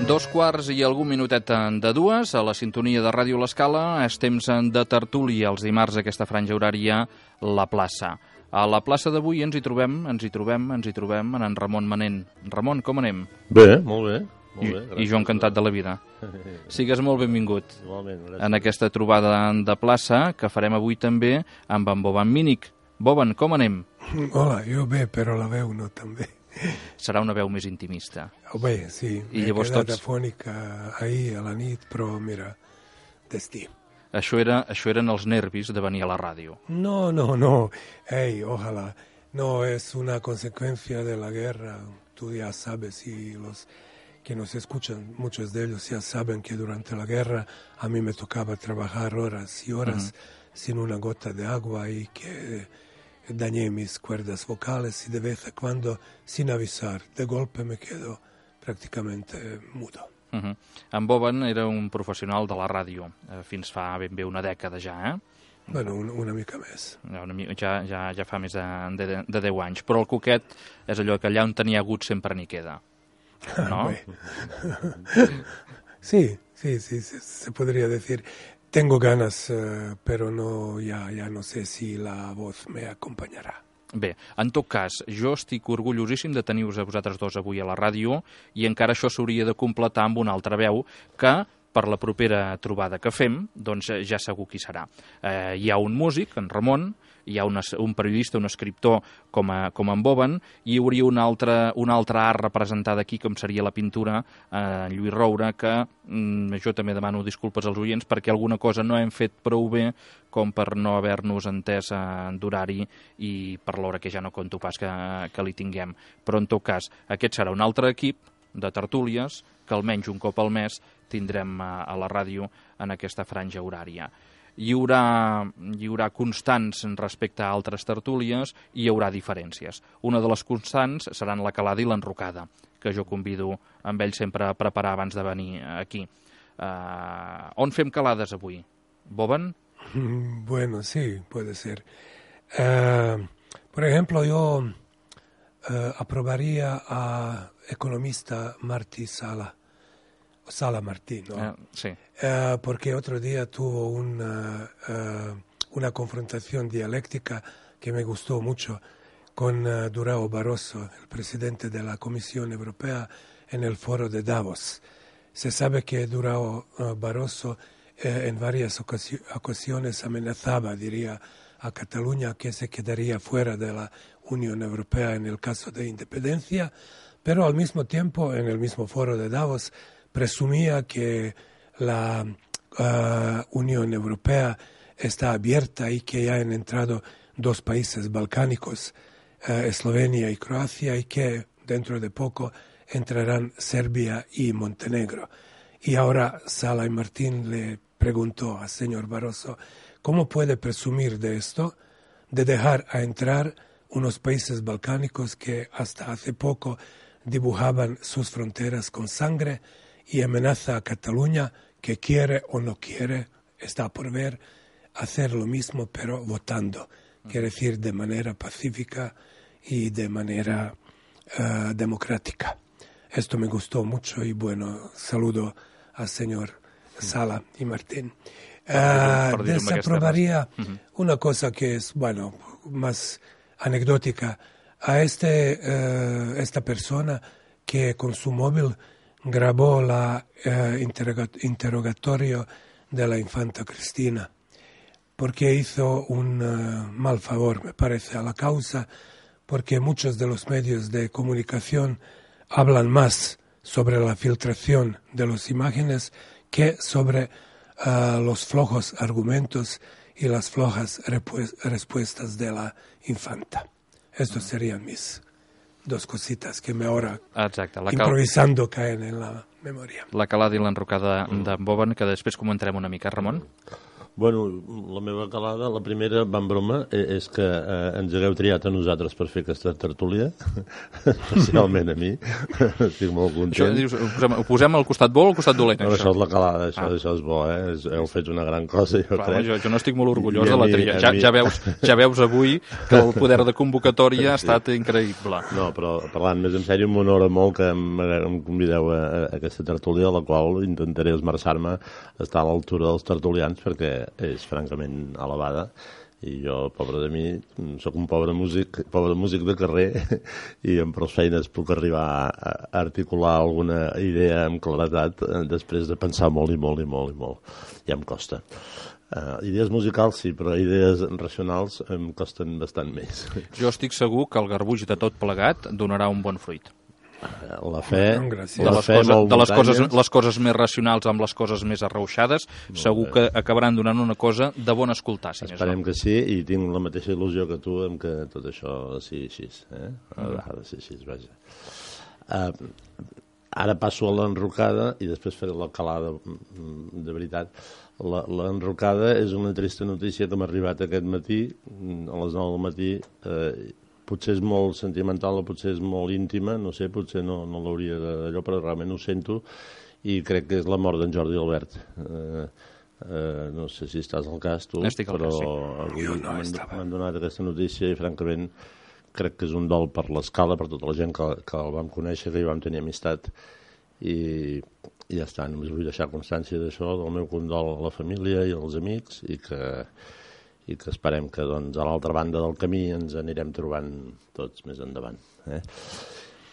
Dos quarts i algun minutet de dues, a la sintonia de Ràdio L'Escala, és temps de tertúlia els dimarts aquesta franja horària, La Plaça. A la plaça d'avui ens hi trobem en en Ramon Manent. Ramon, com anem? Bé, molt bé. I jo encantat de la vida. Sigues molt benvingut. Igualment, gràcies. En aquesta trobada de plaça que farem avui també amb en Boban Mínic. Boban, com anem? Hola, jo bé, però la veu no tan bé. Serà una veu més intimista. Bé, sí, m'he quedat afònica ahir a la nit, però mira, destí. Això eren els nervis de venir a la ràdio. No. Hey, ojalá. No, es una consecuencia de la guerra. Tú ya sabes, y los que nos escuchan, muchos de ellos ya saben que durante la guerra a mí me tocaba trabajar horas y horas sin una gota de agua y que dañé mis cuerdas vocales y de vez en cuando, sin avisar, de golpe me quedo prácticamente mudo. En Boban era un professional de la ràdio, fins fa ben bé una dècada ja, eh? Bueno, una mica més. Ja fa més de 10 anys. Però el Cuquet és allò que allà on tenia hagut sempre n'hi queda, no? Sí, se podría decir. Tengo ganas, pero no, ya no sé si la voz me acompañará. Bé, en tot cas, jo estic orgullosíssim de tenir-vos a vosaltres dos avui a la ràdio i encara això s'hauria de completar amb una altra veu que, per la propera trobada que fem, doncs ja segur qui serà. Hi ha un músic, en Ramon, hi ha un periodista, un escriptor com en Boban, i hi hauria un altre art representat aquí, com seria la pintura, Lluís Roure, que jo també demano disculpes als oients perquè alguna cosa no hem fet prou bé com per no haver-nos entès d'horari i per l'hora que ja no conto pas que li tinguem. Però en tot cas, aquest serà un altre equip de tertúlies que almenys un cop al mes tindrem a la ràdio en aquesta franja horària. Hi haurà constants respecte a altres tertúlies i hi haurà diferències. Una de les constants seran la calada i l'enrocada, que jo convido amb ell sempre a preparar abans de venir aquí. On fem calades avui? Boban? Bueno, sí, puede ser. Por ejemplo, yo aprobaría a economista Sala Martí, ¿no? Sí. Porque otro día tuvo una confrontación dialéctica que me gustó mucho con Durão Barroso, el presidente de la Comisión Europea, en el foro de Davos. Se sabe que Durão Barroso en varias ocasiones amenazaba, diría, a Cataluña que se quedaría fuera de la Unión Europea en el caso de independencia, pero al mismo tiempo, en el mismo foro de Davos, presumía que la Unión Europea está abierta y que ya han entrado 2 países balcánicos, Eslovenia y Croacia, y que dentro de poco entrarán Serbia y Montenegro. Y ahora Sala y Martín le preguntó al señor Barroso cómo puede presumir de esto, de dejar a entrar unos países balcánicos que hasta hace poco dibujaban sus fronteras con sangre y amenaza a Cataluña, que quiere o no quiere, está por ver, hacer lo mismo pero votando, quiere decir de manera pacífica y de manera democrática. Esto me gustó mucho y bueno, saludo al señor Sala y Martín. Desaprobaría una cosa que es, bueno, más anecdótica. A esta persona que con su móvil grabó la interrogatorio de la infanta Cristina, porque hizo un mal favor, me parece, a la causa, porque muchos de los medios de comunicación hablan más sobre la filtración de las imágenes que sobre los flojos argumentos y las flojas respuestas de la infanta. Estos serían mis 2 cositas que me ahora, improvisando, caen en la memòria. La calada i l'enrocada d'en Boban, que després comentarem una mica, Ramon. Bueno, la meva calada, la primera, va en broma, és que ens hagueu triat a nosaltres per fer aquesta tertúlia, especialment a mi. Estic molt content. Això, dius, ho posem al costat bo o al costat dolent, no, això és la calada, això és bo, heu fet una gran cosa, jo crec. Jo no estic molt orgullós de la tria. Ja veus avui que el poder de convocatòria ha estat increïble. No, però parlant més en sèrio, m'honora molt que em convideu a aquesta tertúlia, a la qual intentaré esmerçar-me a estar a l'altura dels tertulians, perquè és francament elevada i jo, pobre de mi, sóc un pobre músic de carrer i amb prou feines puc arribar a articular alguna idea amb claretat després de pensar molt i molt i molt i molt. Ja em costa. Idees musicals sí, però idees racionals em costen bastant més. Jo estic segur que el garbuix de tot plegat donarà un bon fruit. La fe, les coses més racionals amb les coses més arrauxades, segur que acabaran donant una cosa de bon escoltar. Esperem que sí, i tinc la mateixa il·lusió que tu en que tot això sigui així. Ha de ser així, vaja. Ara passo a l'enrocada i després faré la calada de veritat. L'enrocada és una trista notícia que m'ha arribat aquest matí, a les 9 del matí. Potser és molt sentimental o potser és molt íntima, no sé, potser no l'hauria d'allò, però realment ho sento i crec que és la mort d'en Jordi Albert. No sé si estàs al cas, tu, però avui m'han donat aquesta notícia i francament crec que és un dol per l'escala, per tota la gent que el vam conèixer, que hi vam tenir amistat i ja està, només vull deixar constància d'això, del meu condol a la família i als amics i que esperem que doncs, a l'altra banda del camí ens anirem trobant tots més endavant.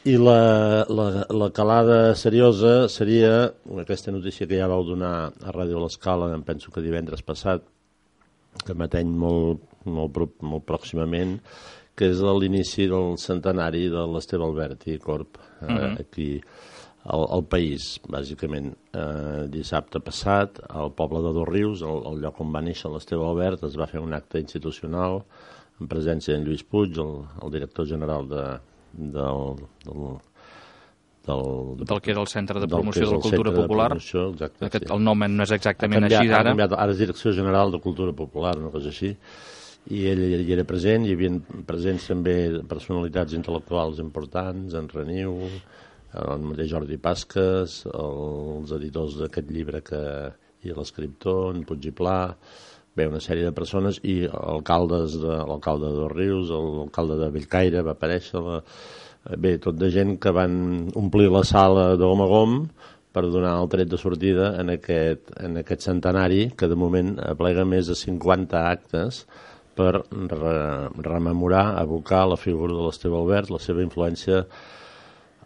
I la calada seriosa seria aquesta notícia que ja vau donar a Ràdio L'Escala, em penso que divendres passat, que m'ateny molt pròximament, que és l'inici del centenari de l'Esteve Albert i Corp, aquí al País, bàsicament. Dissabte passat, al poble de Dosrius, el lloc on va néixer l'Esteve Albert, es va fer un acte institucional en presència d'en Lluís Puig, el director general del que era el Centre de Promoció de la Cultura Popular. Exacte, el nom no és exactament així ara. Ara és Direcció General de Cultura Popular, una cosa així. I ell hi era present, hi havia presents també personalitats intel·lectuals importants, en Reniu, el mateix Jordi Pasques, els editors d'aquest llibre i l'escriptor, en Puig i Pla, bé, una sèrie de persones, i l'alcalde de Dosrius, l'alcalde de Bellcaire va aparèixer, bé, tot de gent que van omplir la sala de gom a gom per donar el tret de sortida en aquest centenari, que de moment aplega més de 50 actes per rememorar, evocar la figura de l'Esteve Albert, la seva influència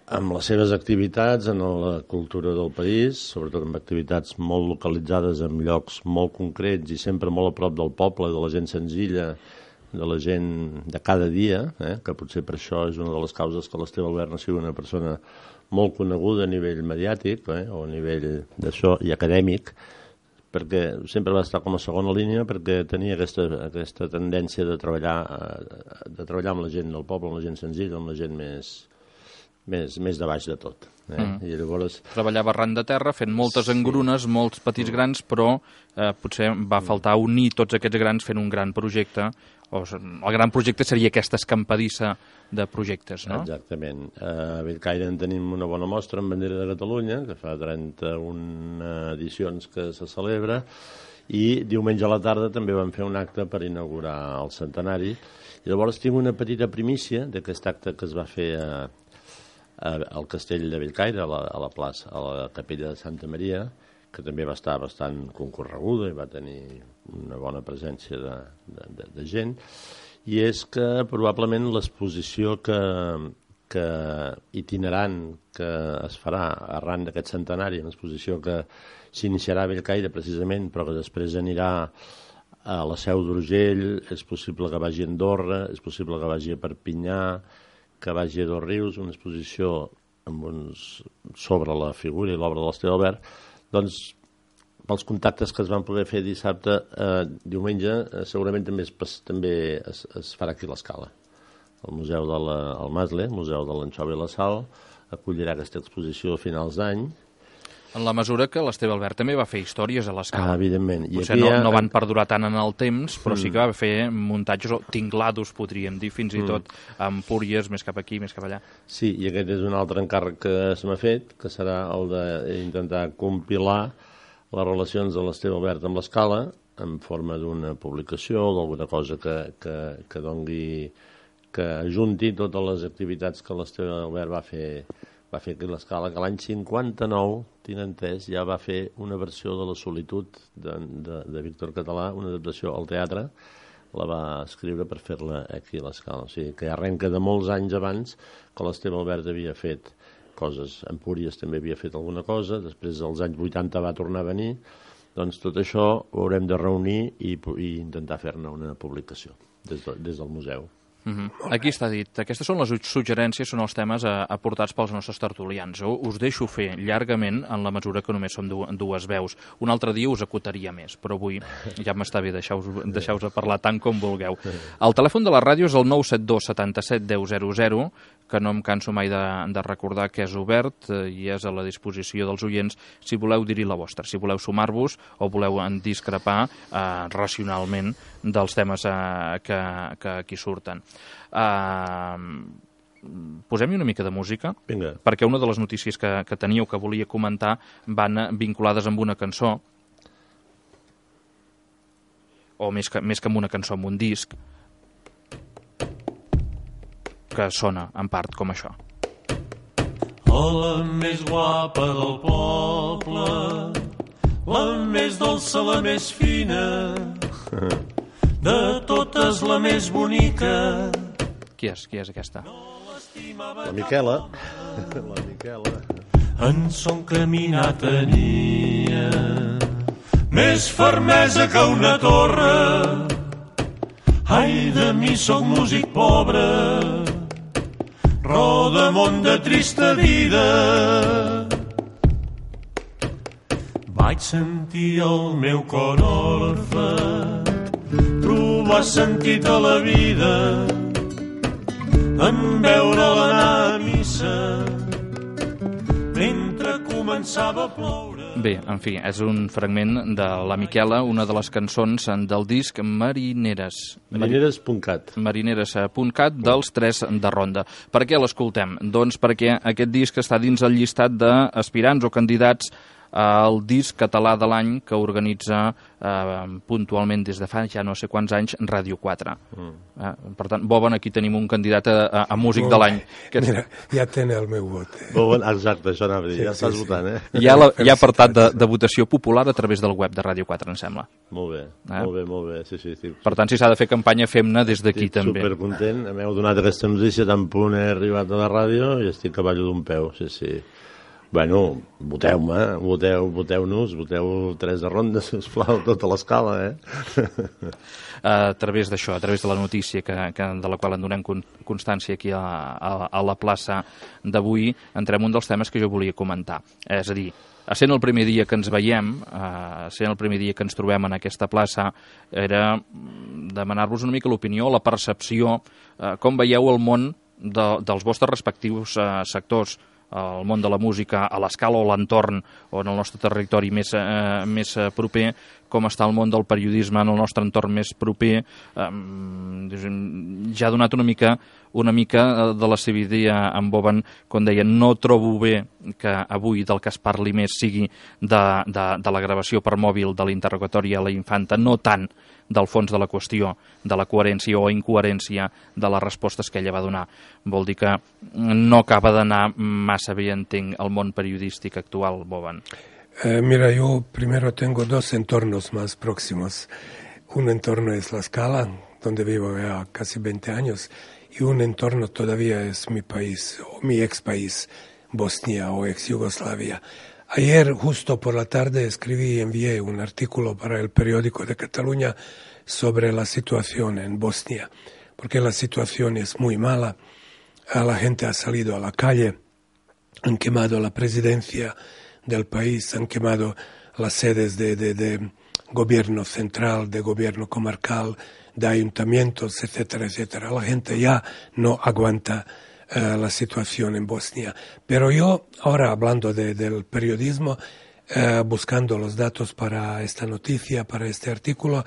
amb les seves activitats en la cultura del país, sobretot amb activitats molt localitzades en llocs molt concrets i sempre molt a prop del poble, de la gent senzilla, de la gent de cada dia, que potser per això és una de les causes que l'Esteve Albert no sigui una persona molt coneguda a nivell mediàtic o a nivell d'això i acadèmic, perquè sempre va estar com a segona línia perquè tenia aquesta tendència de treballar amb la gent del poble, amb la gent senzilla, amb la gent més de baix de tot. I llavors treballava arran de terra, fent moltes engrunes, molts petits grans, però potser va faltar unir tots aquests grans fent un gran projecte. El gran projecte seria aquesta escampadissa de projectes, no? Exactament. A Bellcaire en tenim una bona mostra en bandera de Catalunya, que fa 31 edicions que se celebra, i diumenge a la tarda també vam fer un acte per inaugurar el centenari. I llavors tinc una petita primícia d'aquest acte que es va fer al castell de Bellcaire, a la plaça, a la capella de Santa Maria, que també va estar bastant concorreguda i va tenir una bona presència de gent, i és que probablement l'exposició que itinerant que es farà arran d'aquest centenari, una exposició que s'iniciarà a Bellcaire precisament, però que després anirà a la Seu d'Urgell, és possible que vagi a Andorra, és possible que vagi a Perpinyà, que vagi a Dosrius, una exposició sobre la figura i l'obra de l'Esteve Albert. Doncs, pels contactes que es van poder fer dissabte, diumenge, segurament també es farà aquí a l'Escala. El Museu del Masle, el Museu de l'Anxova i la Sal, acollirà aquesta exposició a finals d'any En la mesura que l'Esteve Albert també va fer històries a l'Escala. Evidentment. Potser no van perdurar tant en el temps, però sí que va fer muntatges o tinglados, podríem dir, fins i tot amb Empúries, més cap aquí, més cap allà. Sí, i aquest és un altre encàrrec que se m'ha fet, que serà el d'intentar compilar les relacions de l'Esteve Albert amb l'Escala en forma d'una publicació o d'alguna cosa que doni, que ajunti totes les activitats que l'Esteve Albert va fer aquí a l'Escala, que l'any 59, tinc entès, ja va fer una versió de La solitud de Víctor Català, una adaptació al teatre, la va escriure per fer-la aquí a l'Escala. O sigui, que arrenca de molts anys abans que l'Esteve Albert havia fet coses. Empúries també havia fet alguna cosa, després dels anys 80 va tornar a venir, doncs tot això ho haurem de reunir i intentar fer-ne una publicació des del museu. Aquí està dit. Aquestes són les suggerències, són els temes aportats pels nostres tertulians. Us deixo fer llargament en la mesura que només som dues veus. Un altre dia us acotaria més, però avui ja m'està bé, deixeu-vos parlar tant com vulgueu. El telèfon de la ràdio és el 972 77 10 00, que no em canso mai de recordar que és obert i és a la disposició dels oients si voleu dir-hi la vostra, si voleu sumar-vos o voleu discrepar racionalment dels temes que aquí surten. Posem-hi una mica de música. Vinga. Perquè una de les notícies que teníeu que volia comentar van vinculades amb una cançó, o més que amb una cançó, amb un disc que sona en part com això. La més guapa del poble, la més dolça, la més fina, de totes la més bonica. Qui és aquesta? La Miquela. La Miquela. En son caminar tenia més fermesa que una torre. Ai, de mi soc músic pobre, rodamont de trista vida. Vaig sentir el meu cor orfe, trobar sentit a la vida, en veure'l anar a missa, mentre començava a ploure. Bé, en fi, és un fragment de la Miquela, una de les cançons del disc Marineres. Marineres.cat. Marineres.cat dels Tres de Ronda. Per què l'escoltem? Doncs perquè aquest disc està dins el llistat d'aspirants o candidats al disc català de l'any que organitza puntualment des de fa ja no sé quants anys Ràdio 4. Per tant, Boban, aquí tenim un candidat a músic de l'any. Mira, ja té el meu vot. Boban, exacte, això anava a dir, ja estàs votant, eh? Hi ha apartat de votació popular a través del web de Ràdio 4, em sembla. Molt bé, sí. Per tant, si s'ha de fer campanya, fem-ne des d'aquí també. Estic supercontent, m'heu donat aquesta notícia tan punt he arribat a la ràdio i estic a ballo d'un peu, sí. Bueno, voteu-me, voteu-nos, voteu Tres de Ronda, sisplau, tota l'escala, A través d'això, a través de la notícia de la qual en donem constància aquí a la plaça d'avui, entrem un dels temes que jo volia comentar. És a dir, sent el primer dia que ens veiem, sent el primer dia que ens trobem en aquesta plaça, era demanar-vos una mica l'opinió, la percepció, com veieu el món dels vostres respectius sectors, el món de la música a l'escala o l'entorn o en el nostre territori més proper, com està el món del periodisme en el nostre entorn més proper. Ja ha donat una mica de la seva idea en Boban, com deia, no trobo bé que avui del que es parli més sigui de la gravació per mòbil de l'interrogatori a la infanta, no tant del fons de la qüestió, de la coherència o incoherència de les respostes que ella va donar. Vol dir que no acaba d'anar massa bé, entenc, el món periodístic actual, Boban. Mira, yo primero tengo dos entornos más próximos. Un entorno es la Scala, donde vivo ya casi 20 años, y un entorno todavía es mi país, o mi ex país, Bosnia o ex Yugoslavia. Ayer, justo por la tarde, escribí y envié un artículo para el periódico de Cataluña sobre la situación en Bosnia, porque la situación es muy mala. La gente ha salido a la calle, han quemado la presidencia del país, han quemado las sedes de gobierno central, de gobierno comarcal, de ayuntamientos, etcétera, etcétera. La gente ya no aguanta la situación en Bosnia. Pero yo, ahora hablando del periodismo, buscando los datos para esta noticia, para este artículo,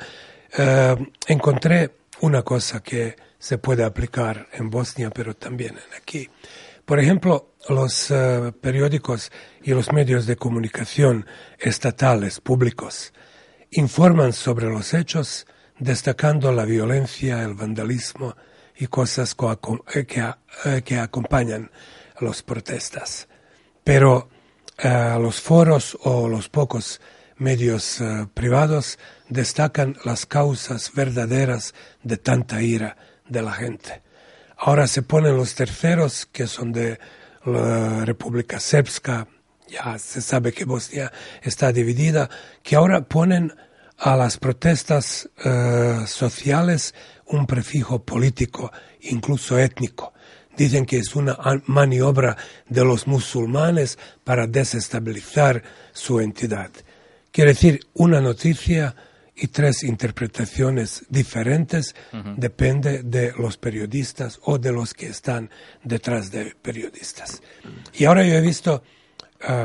encontré una cosa que se puede aplicar en Bosnia, pero también aquí. Por ejemplo, los periódicos y los medios de comunicación estatales, públicos, informan sobre los hechos, destacando la violencia, el vandalismo y cosas que acompañan a las protestas. Pero los foros o los pocos medios privados destacan las causas verdaderas de tanta ira de la gente. Ahora se ponen los terceros, que son de la República Srpska, ya se sabe que Bosnia está dividida, que ahora ponen a las protestas sociales un prefijo político, incluso étnico. Dicen que es una maniobra de los musulmanes para desestabilizar su entidad. Quiere decir, una noticia y tres interpretaciones diferentes, depende de los periodistas o de los que están detrás de periodistas. Y ahora yo he visto,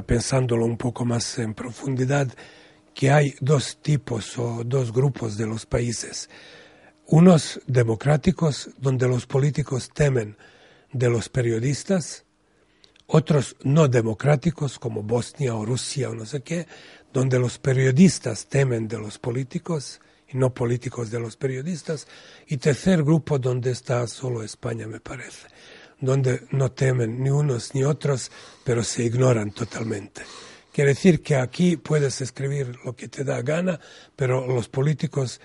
pensándolo un poco más en profundidad, que hay dos tipos o dos grupos de los países. Unos democráticos, donde los políticos temen de los periodistas, otros no democráticos, como Bosnia o Rusia o no sé qué, donde los periodistas temen de los políticos y no políticos de los periodistas, y tercer grupo donde está solo España, me parece, donde no temen ni unos ni otros, pero se ignoran totalmente. Quiere decir que aquí puedes escribir lo que te da gana, pero los políticos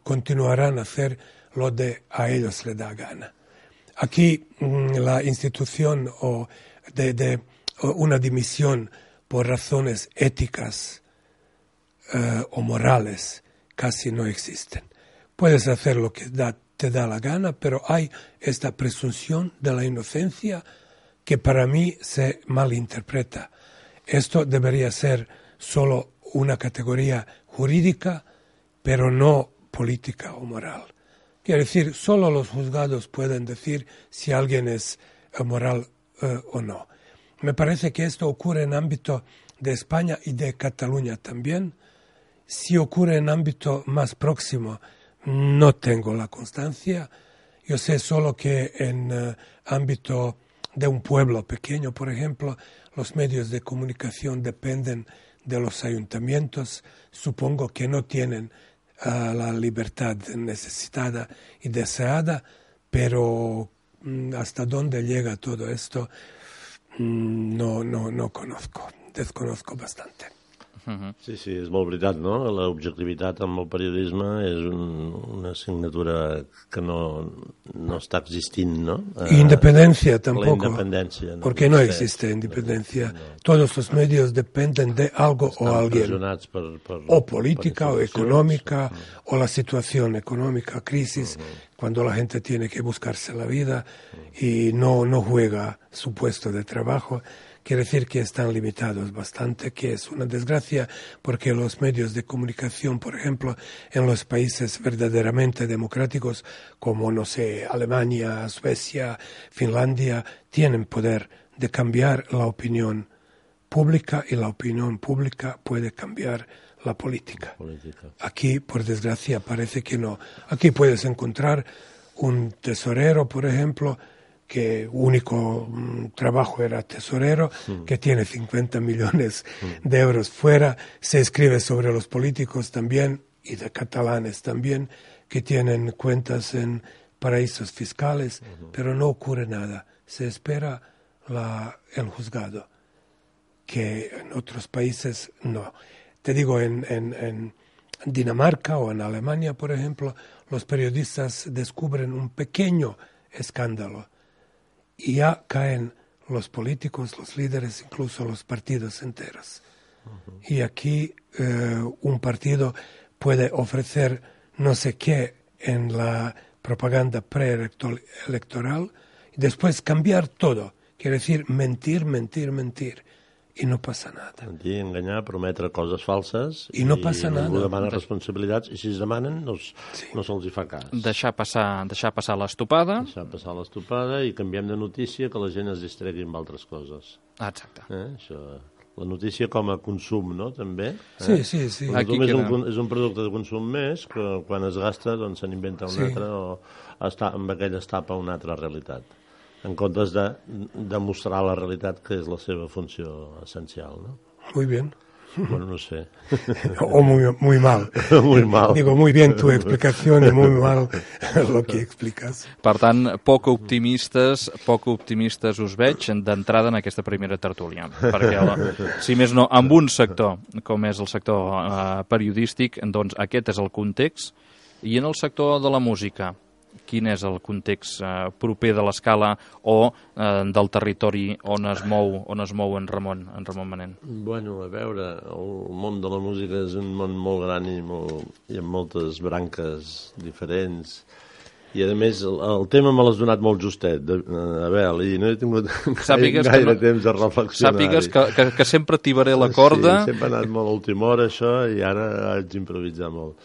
continuarán a hacer lo de a ellos les da gana. Aquí la institución de una dimisión por razones éticas o morales casi no existen. Puedes hacer lo que te da la gana, pero hay esta presunción de la inocencia que para mí se malinterpreta. Esto debería ser solo una categoría jurídica, pero no política o moral. Quiere decir, solo los juzgados pueden decir si alguien es moral o no. Me parece que esto ocurre en ámbito de España y de Cataluña también. Si ocurre en ámbito más próximo, no tengo la constancia. Yo sé solo que en ámbito de un pueblo pequeño, por ejemplo, los medios de comunicación dependen de los ayuntamientos. Supongo que no tienen la libertad necesitada y deseada, pero hasta dónde llega todo esto no conozco, desconozco bastante. Sí, és molt veritat, no? L'objectivitat amb el periodisme és una asignatura que no está existint, ¿no? Independencia tampoco, la independencia, ¿no? Porque no existe independencia. No. Todos los medios dependen de algo o alguien, o política o económica, o la situación económica, crisis, cuando la gente tiene que buscarse la vida y no juega su puesto de trabajo. Quiere decir que están limitados bastante, que es una desgracia, porque los medios de comunicación, por ejemplo, en los países verdaderamente democráticos, como, no sé, Alemania, Suecia, Finlandia, tienen poder de cambiar la opinión pública y la opinión pública puede cambiar la política. Aquí, por desgracia, parece que no. Aquí puedes encontrar un tesorero, por ejemplo, que único trabajo era tesorero, que tiene 50 millones de euros fuera, se escribe sobre los políticos también, y de catalanes también, que tienen cuentas en paraísos fiscales, pero no ocurre nada. Se espera el juzgado, que en otros países no. Te digo, en Dinamarca o en Alemania, por ejemplo, los periodistas descubren un pequeño escándalo, y ya caen los políticos, los líderes, incluso los partidos enteros. Y aquí un partido puede ofrecer no sé qué en la propaganda preelectoral y después cambiar todo. Quiere decir mentir. y no pasa nada. Mentir, enganyar, prometre coses falses i no passa nada. Ningú demana responsabilitats i si es demanen no se'ls hi fa cas. Deixar passar l'estopada. Deixar passar l'estopada i canviem de notícia que la gent es distregui amb altres coses. Exacte. Això, la notícia com a consum, no?, també. Sí. És un producte de consum més que quan es gasta doncs se n'inventa un altre o amb aquell es tapa una altra realitat. En comptes de demostrar la realitat que és la seva funció essencial, no? Muy bien. Bueno, no sé. O muy mal. Muy mal. Digo, muy bien tu explicación y muy mal lo que explicas. Per tant, poc optimistes us veig d'entrada en aquesta primera tertúlia. Perquè, si més no, amb un sector, com és el sector periodístic, doncs aquest és el context. I en el sector de la música, quin és el context proper de l'escala o del territori on es mou en Ramon Manent? Bueno, a veure, el món de la música és un món molt gran i amb moltes branques diferents. I, a més, el tema me l'has donat molt justet, Abel, i no he tingut gaire temps a reflexionar. Sàpigues que sempre tibaré la corda. Sí, sempre ha anat molt a última hora, això, i ara haig d'improvisar molt.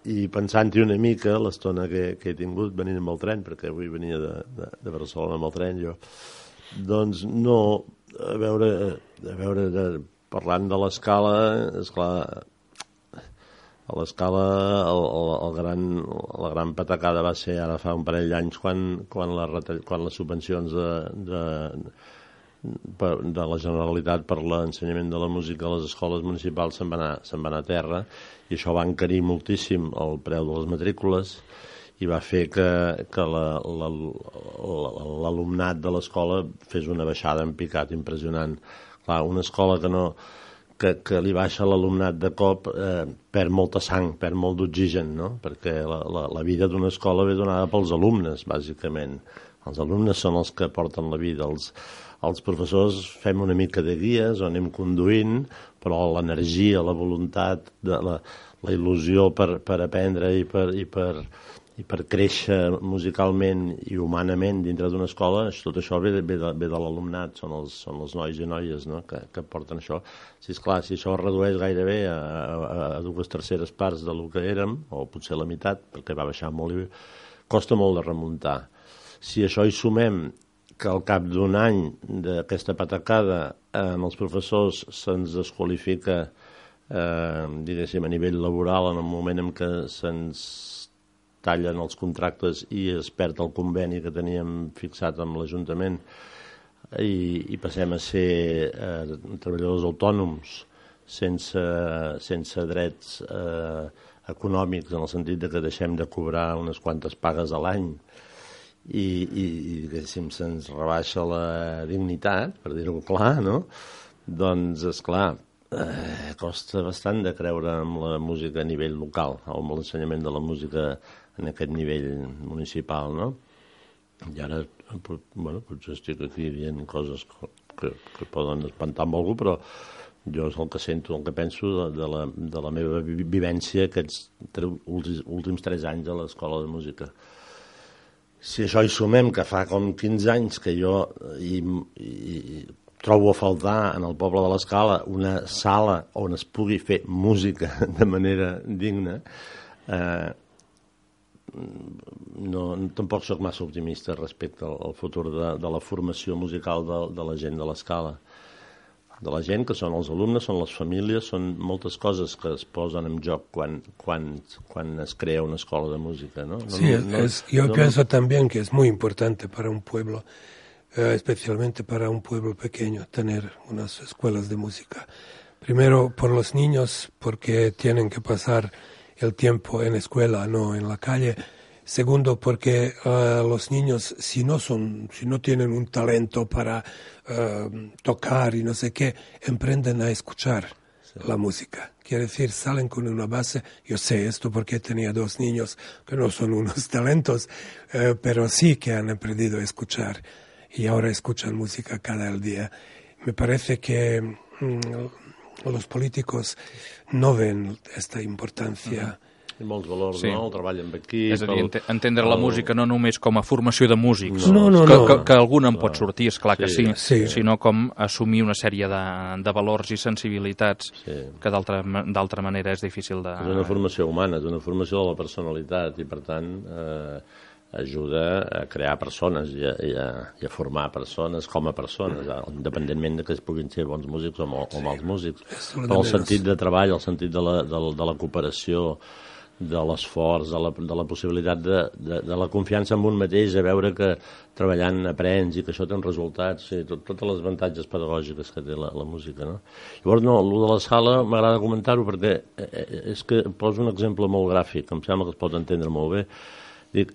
I pensant-hi una mica, l'estona que he tingut venint amb el tren, perquè avui venia de Barcelona amb el tren jo, doncs no, a veure, parlant de l'escala, esclar, a l'escala la gran patacada va ser ara fa un parell d'anys quan les subvencions de la Generalitat per l'ensenyament de la música a les escoles municipals se'n va anar a terra i això va encarir moltíssim el preu de les matrícules i va fer que l'alumnat de l'escola fes una baixada en picat impressionant. Clar, una escola que li baixa l'alumnat de cop perd molta sang, perd molt d'oxigen, no? Perquè la vida d'una escola ve donada pels alumnes, bàsicament. Els alumnes són els que porten la vida, els professors fem una mica de guies o anem conduint, però l'energia, la voluntat, la il·lusió per aprendre i per créixer musicalment i humanament dintre d'una escola, tot això ve de l'alumnat, són els nois i noies, no?, que porten això. Si això es redueix gairebé a 2/3 parts del que érem, o potser la meitat, perquè va baixar molt i costa molt de remuntar. Si això hi sumem que al cap d'un any d'aquesta patacada en els professors se'ns desqualifica, diguéssim, a nivell laboral en el moment en què se'ns tallen els contractes i es perd el conveni que teníem fixat amb l'Ajuntament i passem a ser treballadors autònoms sense drets econòmics en el sentit que deixem de cobrar unes quantes pagues a l'any i diguéssim se'ns rebaixa la dignitat, per dir-ho clar, no? Doncs, esclar, costa bastant de creure en la música a nivell local o amb l'ensenyament de la música en aquest nivell municipal, no? I ara, bueno, potser estic aquí dient coses que poden espantar amb algú, però jo és el que sento, el que penso de la meva vivència aquests últims 3 anys a l'Escola de Música. Si això hi sumem, que fa com 15 anys que jo trobo a faltar en el poble de l'Escala una sala on es pugui fer música de manera digna, tampoc soc massa optimista respecte al futur de la formació musical de la gent de l'Escala. De la gent, que són els alumnes, són les famílies, són moltes coses que es posen en joc quan es crea una escola de música, ¿no? Yo pienso también que es muy importante para un pueblo, especialmente para un pueblo pequeño, tener unas escuelas de música. Primero, por los niños, porque tienen que pasar el tiempo en escuela, no en la calle. Segundo, porque los niños, si no tienen un talento para tocar y no sé qué, emprenden a escuchar la música. Quiere decir, salen con una base. Yo sé esto porque tenía 2 niños que no son unos talentos, pero sí que han aprendido a escuchar y ahora escuchan música cada día. Me parece que los políticos no ven esta importancia. I molts valors, no? El treball amb equip... És a dir, entendre la música no només com a formació de músics, no. que algun en pot sortir, esclar que sí, sinó com assumir una sèrie de valors i sensibilitats que d'altra manera és difícil de... És una formació humana, és una formació de la personalitat i, per tant, ajuda a crear persones i a formar persones com a persones, independentment de que es puguin ser bons músics o mals músics. Però el sentit de treball, el sentit de la cooperació, de l'esforç, de la possibilitat de la confiança en un mateix, a veure que treballant aprens i que això té uns resultats, totes les avantatges pedagògiques que té la música, no? Llavors, el de la sala m'agrada comentar-ho perquè és que poso un exemple molt gràfic, em sembla que es pot entendre molt bé. Dic,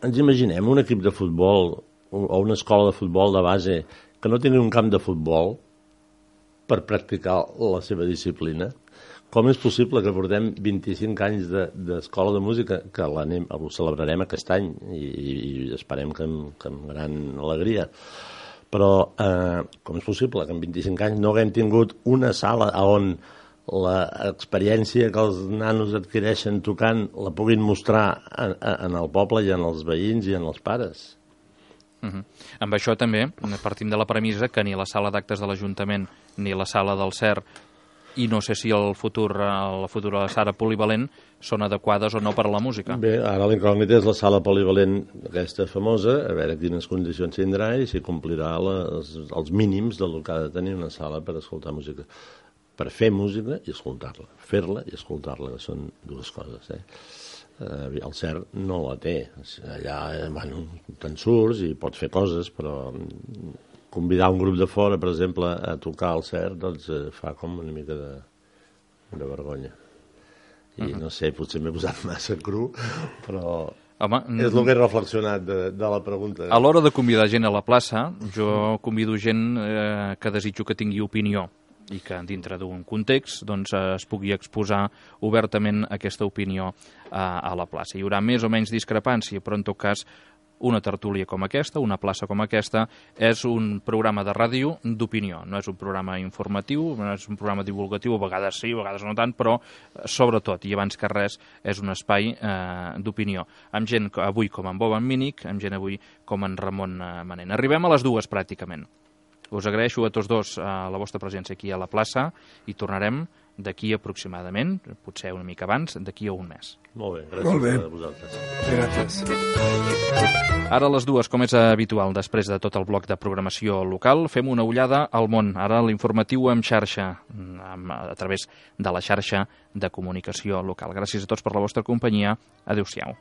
ens imaginem un equip de futbol o una escola de futbol de base que no tingui un camp de futbol per practicar la seva disciplina. Com és possible que portem 25 anys d'escola de música, que ho celebrarem aquest any i esperem que amb gran alegria, però com és possible que en 25 anys no haguem tingut una sala on l'experiència que els nanos adquireixen tocant la puguin mostrar en el poble i en els veïns i en els pares? Amb això també partim de la premissa que ni la sala d'actes de l'Ajuntament ni la sala del CER i no sé si la futura sala polivalent són adequades o no per a la música. Bé, ara l'incògnita és la sala polivalent aquesta famosa, a veure quines condicions tindrà i si complirà els mínims del que ha de tenir una sala per escoltar música. Per fer música i escoltar-la. Fer-la i escoltar-la, que són dues coses. El CERT no la té. Allà, te'n surts i pots fer coses, però convidar un grup de fora, per exemple, a tocar al CERT, doncs fa com una mica de vergonya. I no sé, potser m'he posat massa cru, però és el que he reflexionat de la pregunta. A l'hora de convidar gent a la plaça, jo convido gent que desitjo que tingui opinió i que dintre d'un context doncs, es pugui exposar obertament aquesta opinió a la plaça. Hi haurà més o menys discrepància, però en tot cas una tertúlia com aquesta, una plaça com aquesta, és un programa de ràdio d'opinió. No és un programa informatiu, no és un programa divulgatiu, a vegades sí, a vegades no tant, però sobretot, i abans que res, és un espai d'opinió. Amb gent avui com en Bob Mínic, amb gent avui com en Ramon Manent. Arribem a les dues pràcticament. Us agraeixo a tots dos la vostra presència aquí a la plaça i tornarem d'aquí aproximadament, potser una mica abans, d'aquí a un mes. Molt bé, gràcies a vosaltres. Gràcies. Ara a les dues, com és habitual, després de tot el bloc de programació local, fem una ullada al món. Ara l'informatiu en xarxa, a través de la xarxa de comunicació local. Gràcies a tots per la vostra companyia. Adéu-siau.